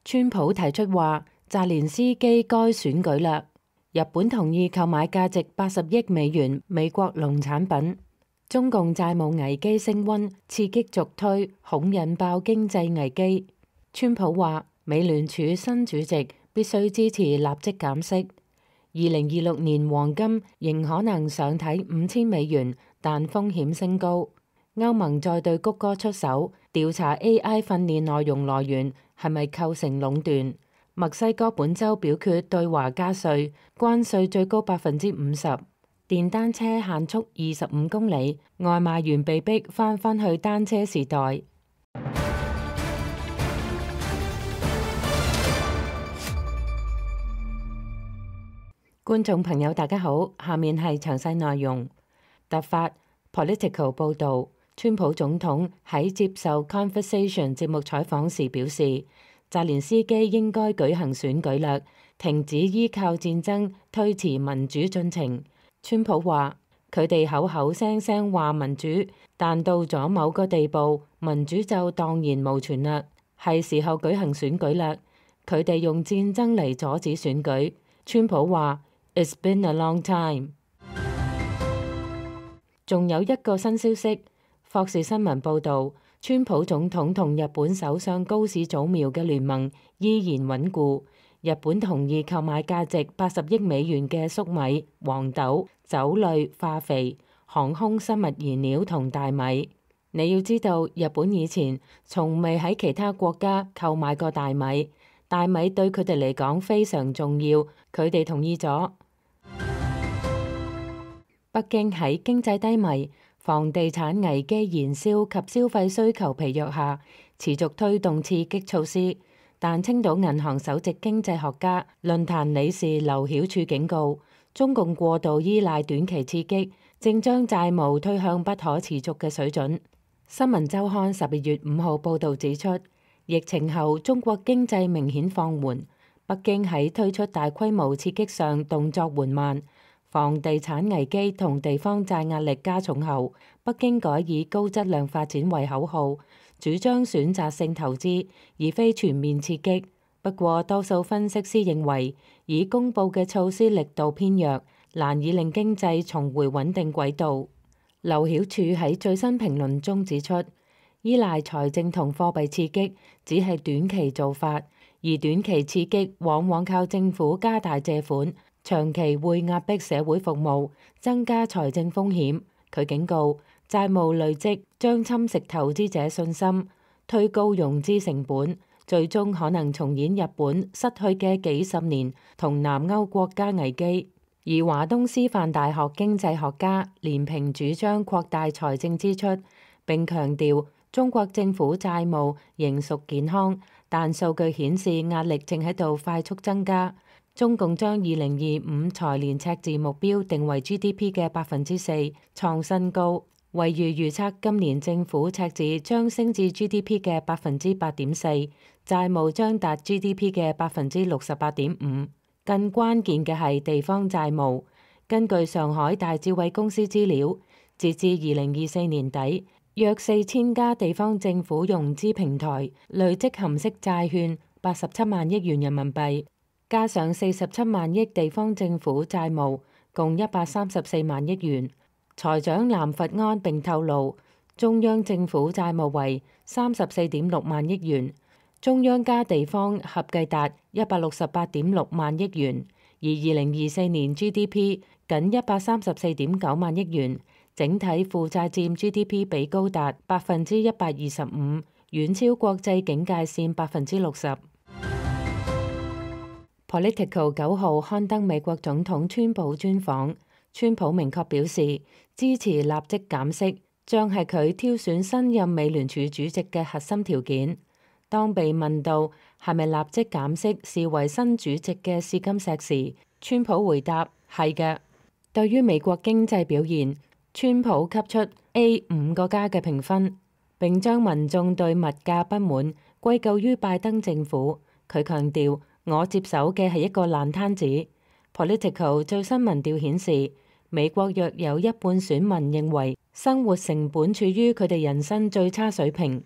川普提出話澤連斯基該選舉啦。日本同意購買價值80億美元美國農產品。中共債務危機升溫，刺激續推，恐引爆經濟危機。川普話美聯儲新主席必須支持立即減息。2026年黃金仍可能上睇5000美元，但風險升高。歐盟再對谷歌出手，調查 AI 訓練內容來源係咪構成壟斷。墨西哥本週表決對華加稅，關稅最高50%。電單車限速25公里，外賣員被逼返去單車時代。觀眾朋友大家好，下面係詳細內容。突發 Political 報導，川普總統喺接受 Conversation 節目採訪時表示，澤連斯基應該舉行選舉啦，停止依靠戰爭推遲民主進程。川普話：佢哋口口聲聲話民主，但到咗某個地步，民主就蕩然無存啦。係時候舉行選舉啦。佢哋用戰爭嚟阻止選舉。川普話：It's been a long time。仲有一個新消息，霍士新聞報導，川普總統同日本首相高市早苗嘅聯盟依然穩固。日本同意購買價值80億美元嘅粟米、黃豆、酒類、化肥、航空生物燃料同大米。你要知道，日本以前從未喺其他國家購買過大米，大米對佢哋嚟講非常重要，佢哋同意咗。北京喺經濟低迷、房地產危機燃燒及消費需求疲弱下，持續推動刺激措施。但青島銀行首席經濟學家論壇理事劉曉柱警告，中共過度依賴短期刺激，正將債務推向不可持續嘅水準。新聞週刊12月5號報導指出，疫情後中國經濟明顯放緩，北京喺推出大規模刺激上動作緩慢。房地產危機同地方債壓力加重後，北京改以高質量發展為口號，主張選擇性投資，而非全面刺激。不過，多數分析師認為，已公布嘅措施力度偏弱，難以令經濟重回穩定軌道。劉曉柱喺最新評論中指出，依賴財政同貨幣刺激只係短期做法，而短期刺激往往靠政府加大借款，長期會壓迫社會服務，增加財政風險。佢警告，債務累積將侵蝕投資者信心，推高融資成本，最終可能重演日本失去嘅幾十年同南歐國家危機。而華東師範大學經濟學家連平主張擴大財政支出，並強調中國政府債務仍屬健康，但數據顯示壓力正喺度快速增加。中共將2025財年赤字目標定為 GDP 嘅4%，創新高。惠譽預測今年政府赤字將升至 GDP 嘅8.4%，債務將達 GDP 嘅68.5%。更關鍵嘅係地方債務。根據上海大智慧公司資料，截至2024年底，約4000家地方政府融資平台累積含息債券87萬億元人民幣。加上47萬億地方政府債務，共134萬億元。財長藍佛安並透露，中央政府債務為34.6萬億元，中央加地方合計達168.6萬億元，而2024年 GDP 僅134.9萬億元，整體負債佔 GDP 比高達125%，遠超國際警戒線60%。Political 9號刊登美國總統川普專訪，川普明確表示支持立即減息，將係佢挑選新任美聯儲主席嘅核心條件。當被問到係咪立即減息視為新主席嘅試金石時，川普回答係嘅。對於美國經濟表現，川普給出 A5個加嘅評分，並將民眾對物價不滿歸咎於拜登政府。佢強調，我接手嘅係一個爛攤子。Political 最新民調顯示，美國約有一半選民認為生活成本處於佢哋人生最差水平。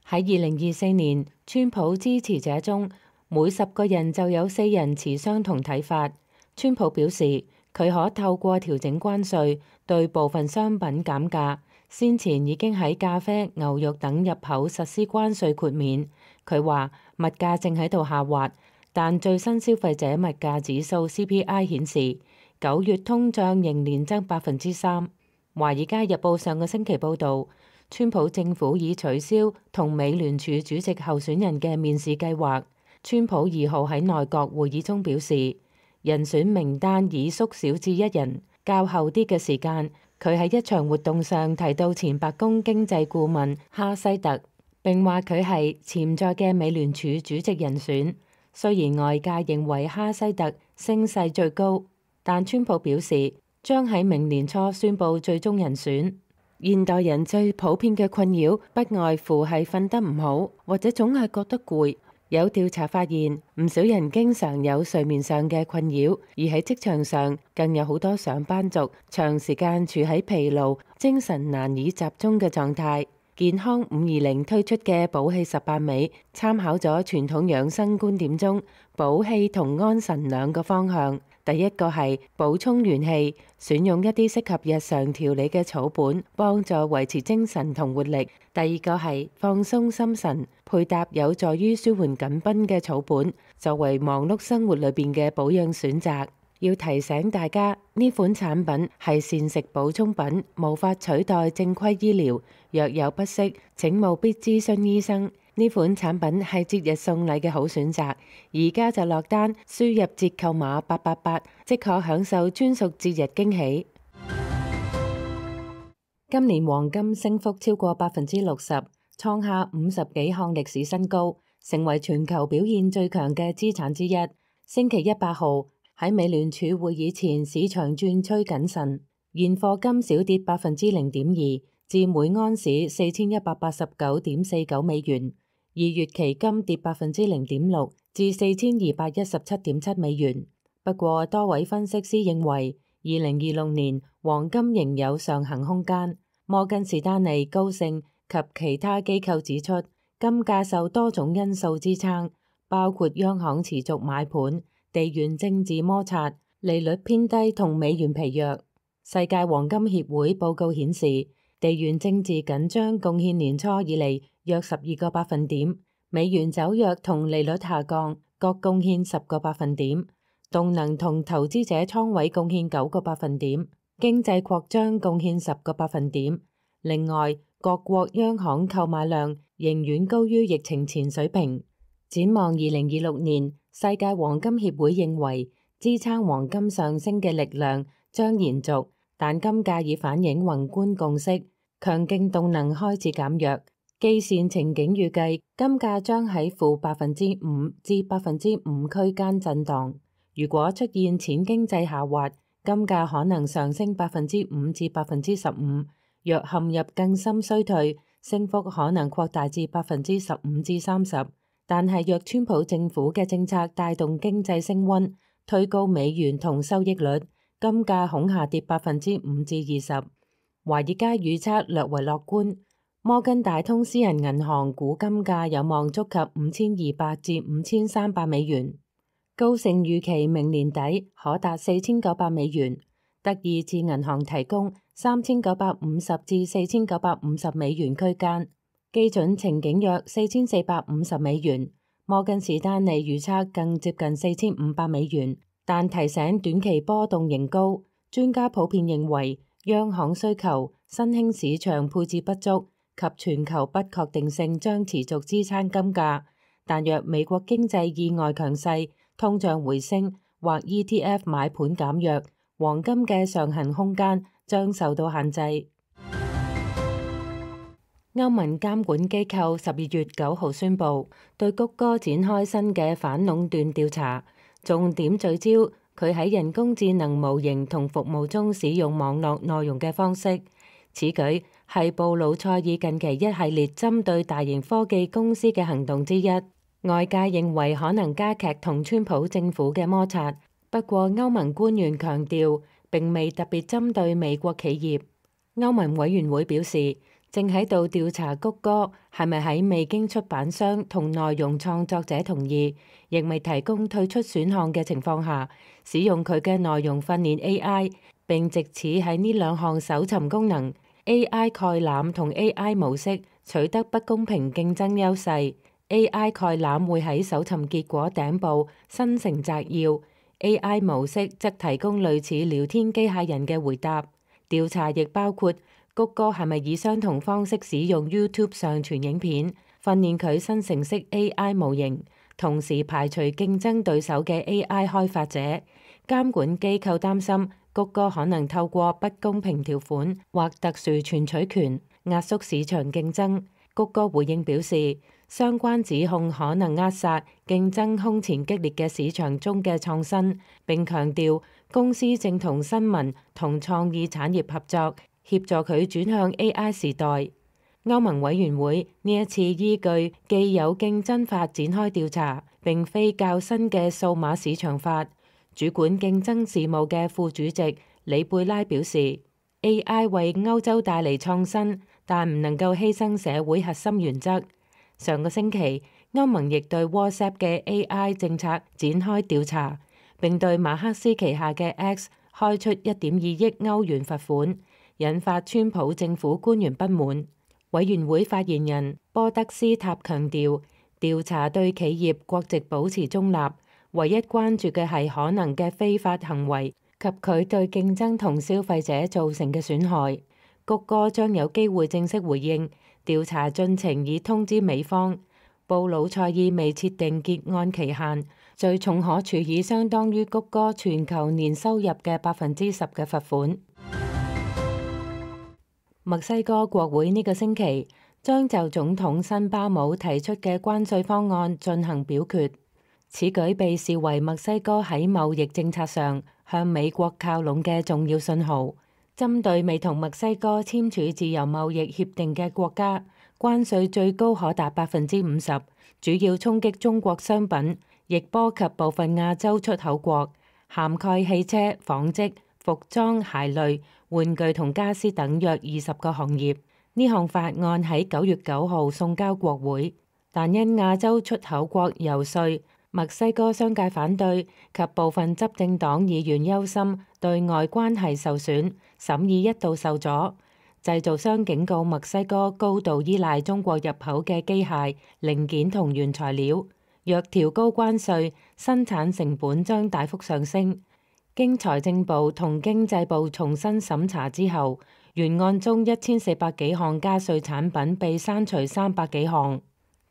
喺2024年，川普支持者中每10個人就有4人持相同睇法。川普表示，佢可透過調整關稅對部分商品減價，先前已經喺咖啡、牛肉等入口實施關稅豁免。佢話物價正喺度下滑，但最新消費者物價指數 CPI 顯示9月通脹仍年增3%。華爾街日報上個星期報導，川普政府已取消同美聯儲主席候選人嘅面試計劃。川普2號喺內閣會議中表示，人選名單已縮小至1人。較後啲嘅時間，佢喺一場活動上提到前白宮經濟顧問哈西特，並話佢係潛在嘅美聯儲主席人選。雖然外界認為哈西特聲勢最高，但川普表示將喺明年初宣布最終人選。現代人最普遍嘅困擾不外乎係瞓得唔好，或者總係覺得攰。有調查發現，唔少人經常有睡眠上嘅困擾，而喺職場上更有好多上班族長時間處喺疲勞、精神難以集中嘅狀態。健康520推出嘅補氣18味，參考咗傳統養生觀點中補氣同安神兩個方向。第一個係補充元氣，選用一啲適合日常調理嘅草本，幫助維持精神同活力。第二個係放鬆心神，配搭有助於舒緩緊繃嘅草本，作為忙碌生活裏邊嘅保養選擇。要提醒大家，呢款產品係膳食補充品，無法取代正規醫療。若有不適，請務必諮詢醫生。呢款產品係節日送禮嘅好選擇，而家就落單，輸入折扣碼888，即可享受專屬節日驚喜。今年黃金升幅超過60%，創下50幾項歷史新高，成為全球表現最強嘅資產之一。星期一8號喺美聯儲會議前，市場轉趨謹慎，現貨金小跌0.2%，至每安士4189.49美元。2月期金跌0.6%，至4217.7美元。不過，多位分析師認為，2026年黃金仍有上行空間。摩根士丹利、高盛及其他機構指出，金價受多種因素支撐，包括央行持續買盤、地緣政治摩擦、利率偏低同美元疲弱。世界黃金協會報告顯示，地緣政治緊張貢獻年初以嚟約12個百分點，美元走弱同利率下降各貢獻10個百分點，動能同投資者倉位貢獻9個百分點，經濟擴張貢獻10個百分點。另外，各國央行購買量仍遠高於疫情前水平。展望2026年，世界黃金協會認為支撐黃金上升嘅力量將延續，但金價已反映宏觀共識，強勁動能開始減弱。基線情景預計金價將喺-5%至-5%區間震盪。如果出現淺經濟下滑，金價可能上升5%至15%。若陷入更深衰退，升幅可能擴大至15%至30%。但係若川普政府嘅政策帶動經濟升溫，推高美元同收益率，金價恐下跌5%至20%。華爾街預測略為樂觀，摩根大通私人銀行估金價有望觸及5200至5300美元。高盛預期明年底可達4900美元。德意志銀行提供3950至4950美元區間，基準情景約4450美元。摩根士丹利預測更接近4500美元，但提醒短期波動仍高。專家普遍認為，央行需求、新興市場配置不足及全球不確定性將持續支撐金價。但若美國經濟意外強勢、通脹回升或 ETF 買盤減弱，黃金嘅上行空間將受到限制。歐盟監管機構12月9號宣布，對谷歌展開新嘅反壟斷調查，重點聚焦佢喺人工智能模型同服務中使用網絡內容嘅方式。此舉係布魯塞爾近期一系列針對大型科技公司嘅行動之一。外界認為可能加劇同川普政府嘅摩擦。不過，歐盟官員強調並未特別針對美國企業。歐盟委員會表示，正喺度調查谷歌係咪喺未經出版商同內容創作者同意，亦未提供退出選項嘅情況下，使用佢嘅內容訓練 AI， 並藉此喺呢兩項搜尋功能 AI 概覽同 AI 模式取得不公平競爭優勢。AI 概覽會喺搜尋結果頂部生成摘要， AI 模式則提供類似聊天機械人嘅回答。調查亦包括谷歌係咪以相同方式使用 YouTube 上傳影片，訓練佢生成式 AI 模型，同時排除競爭對手嘅 AI 開發者。監管機構擔心谷歌可能透過不公平條款或特殊存取權壓縮市場競爭。谷歌回應表示，相關指控可能扼殺競爭空前激烈嘅市場中嘅創新，並強調公司正同新聞同創意產業合作，協助佢轉向 AI 時代。歐盟委員會呢一次依據既有競爭法展開調查，並非較新嘅數碼市場法。主管競爭事務嘅副主席里貝拉表示， AI 為歐洲帶嚟創新，但唔能夠犧牲社會核心原則。上個星期，歐盟亦對 WhatsApp 嘅 AI 政策展開調查，並對馬克思旗下嘅 X 開出1.2億歐元罰款，引發川普政府官員不滿。委員會發言人波德斯塔強調，調查對企業國籍保持中立，唯一關注嘅係可能嘅非法行為及佢對競爭同消費者造成嘅損害。谷歌將有機會正式回應調查進程，已通知美方。布魯塞爾未設定結案期限，最重可處以相當於谷歌全球年收入嘅10%嘅罰款。墨西哥國會呢個星期將就總統辛巴姆提出嘅關稅方案進行表決，此舉被視為墨西哥喺貿易政策上向美國靠攏嘅重要信號。針對未同墨西哥簽署自由貿易協定嘅國家，關稅最高可達50%，主要衝擊中國商品，亦波及部分亞洲出口國，涵蓋汽車、紡織、服裝、鞋類、玩具同家私等約20個行業。呢項法案喺9月9號送交國會，但因亞洲出口國遊說、墨西哥商界反對及部分執政黨議員憂心對外關係受損，審議一度受阻。製造商警告墨西哥高度依賴中國入口嘅機械零件同原材料，若調高關稅，生產成本將大幅上升。經財政部同經濟部重新審查之後，原案中1400幾項加稅產品被刪除300幾項。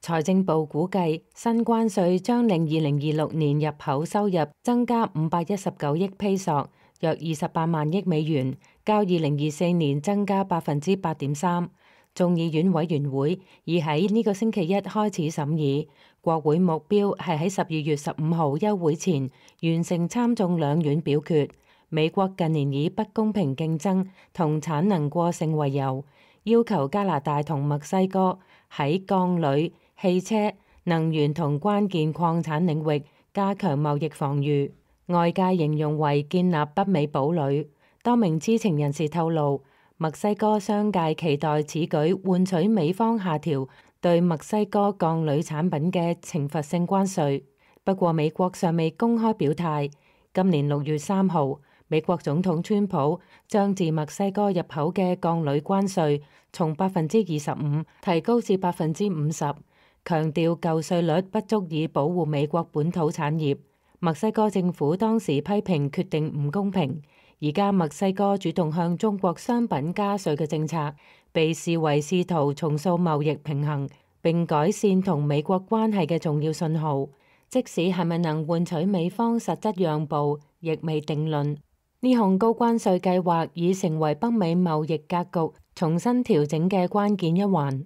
財政部估計新關稅將令2026年入口收入增加519億披索，約28萬億美元，較2024年增加8.3%。眾議院委員會已喺呢個星期一開始審議，國會目標係喺12月15號休會前完成參眾兩院表決。美國近年以不公平競爭同產能過剩為由，要求加拿大同墨西哥喺鋼鋁、汽車、能源同關鍵礦產領域加強貿易防禦，外界形容為建立北美堡壘。多名知情人士透露，墨西哥商界期待此舉換取美方下調對墨西哥鋼鋁產品嘅懲罰性關稅。不過美國尚未公開表態。今年6月3號，美國總統川普將自墨西哥入口嘅鋼鋁關稅從25%提高至50%，強調舊稅率不足以保護美國本土產業。墨西哥政府當時批評決定唔公平。而家墨西哥主動向中國商品加稅嘅政策，被視為試圖重塑貿易平衡並改善同美國關係嘅重要信號。即使係咪能換取美方實質讓步，亦未定論。呢項高關稅計劃已成為北美貿易格局重新調整嘅關鍵一環。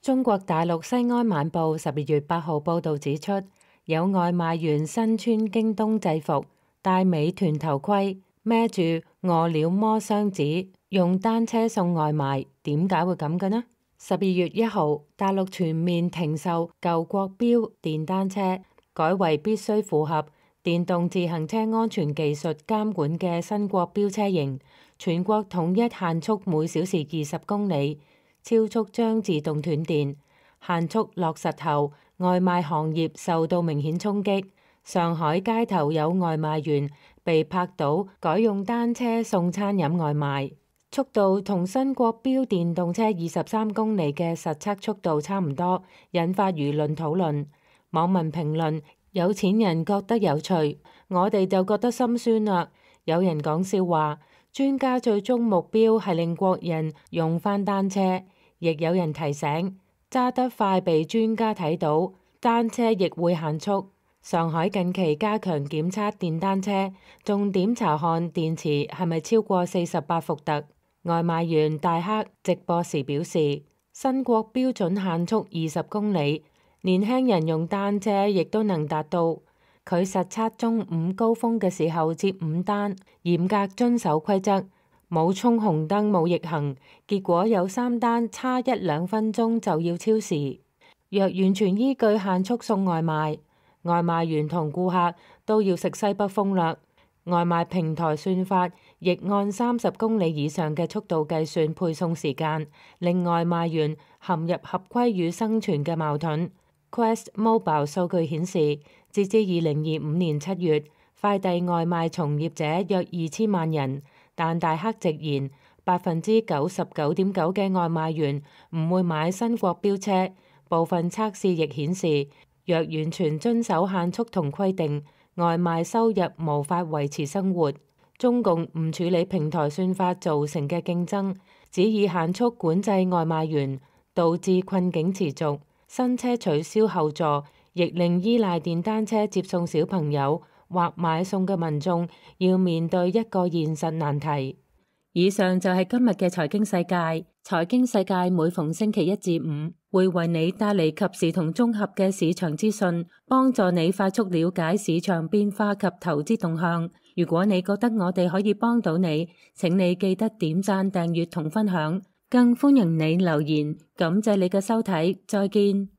中國大陸西安晚報12月8號報導指出，有外賣員身穿京東制服，戴美團頭盔，孭住餓了麼箱子，用單車送外賣，點解會咁嘅呢？12月1號，大陸全面停售舊國標電單車，改為必須符合電動自行車安全技術監管嘅新國標車型，全國統一限速每小時20公里，超速將自動斷電。限速落實後，外賣行業受到明顯衝擊。上海街頭有外賣員被拍到改用單車送餐飲外賣，速度同新國標電動車23公里嘅實測速度差唔多，引發輿論討論。網民評論：有錢人覺得有趣，我哋就覺得心酸啦。有人講笑話，專家最終目標係令國人用返單車，亦有人提醒，揸得快被專家睇到，單車亦會限速。上海近期加強檢測電單車，重點查看電池係咪超過48伏特。外賣員大黑直播時表示，新國標準限速20公里，年輕人用單車亦都能達到。佢實測中午高峰嘅時候接5單，嚴格遵守規則，冇衝紅燈冇逆行，結果有3單差1-2分鐘就要超時。若完全依據限速送外賣，外賣員同顧客都要食西北風啦。外賣平台算法亦按30公里以上嘅速度計算配送時間，令外賣員陷入合規與生存嘅矛盾。Quest Mobile 數據顯示，截至2025年7月，快遞外賣從業者約2000萬人，但大黑直言，99.9%嘅外賣員唔會買新國標車。部分測試亦顯示，若完全遵守限速同規定，外賣收入無法維持生活。中共唔處理平台算法造成嘅競爭，只以限速管制外賣員，導致困境持續。新車取消後座，亦令依賴電單車接送小朋友或買餸嘅民眾要面對一個現實難題。以上就係今日嘅財經世界。財經世界每逢星期1至5會為你帶嚟及時同綜合嘅市場資訊，幫助你快速了解市場變化及投資動向。如果你覺得我哋可以幫到你，請你記得點讚、訂閱同分享，更歡迎你留言。感謝你嘅收睇，再見。